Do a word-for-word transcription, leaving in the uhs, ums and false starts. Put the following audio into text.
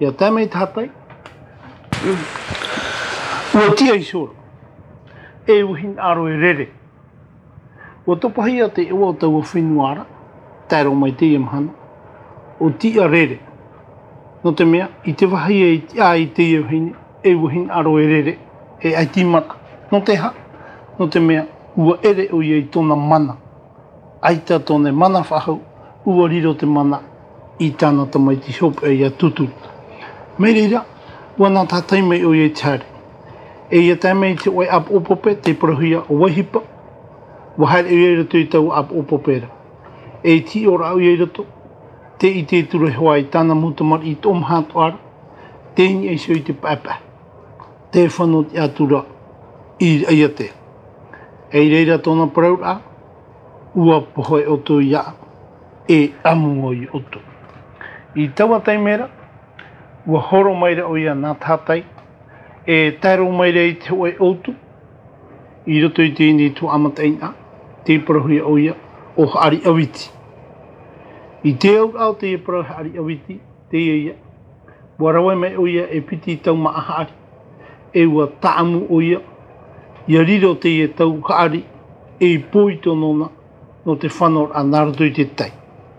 Ia tae mai te hatai. Ua tiʻa iho ra. E ua hinaʻaro e rere. Ua topahia te iʻoa o taua fenua ra, tae roa mai teie mahana, ʻo Tiʻarere. Nō te mea, i te vāhi e tiʻa ai teie vahine, e ua hinaʻaro e rere, e ʻaita i mana. Nō te aha? Nō te mea, ua ʻere ʻoia i tōna mana. ʻAita tōna mana faʻahou, ua riro te mana i tāna tamaiti hopeʻa ia Tūturu. Mai reira, ua nā tātai mai ʻoia i te haere. E ia tae mai i te hōʻē ʻāpoʻo pape, tei parauhia ʻo Vaihipa, ua haere ʻoia i roto i taua ʻāpoʻo pape ra. E i te hiʻoraʻa ʻoia i roto, tē ʻite atu ra hoʻi i tāna mau tamariʻi toʻomaha atoʻa ra, tē niʻa iho i te paepae. Tē fano atu ra i Raiatea. E i reira tōna parauraʻa, ua pohe ʻoutou ia, e ʻamu ʻoia ʻoutou. I taua taime ra, ua horo mai ra ʻoia nā tātai, e tae roa mai ra i te hōʻē ʻoutu, i roto i teie nei tuhaʻa mataʻeinaʻa, tei parauhia ʻoia ʻo Haʻari ʻAviti. I te auraʻa o teie parau Haʻari ʻAviti, teie ia, ua rave mai ʻoia e piti taumaʻa haʻari, e ua tāʻamu ʻoia, ia riro teie tau haʻari, ei pōito nōna, nō te fanoraʻa nā roto i te tai.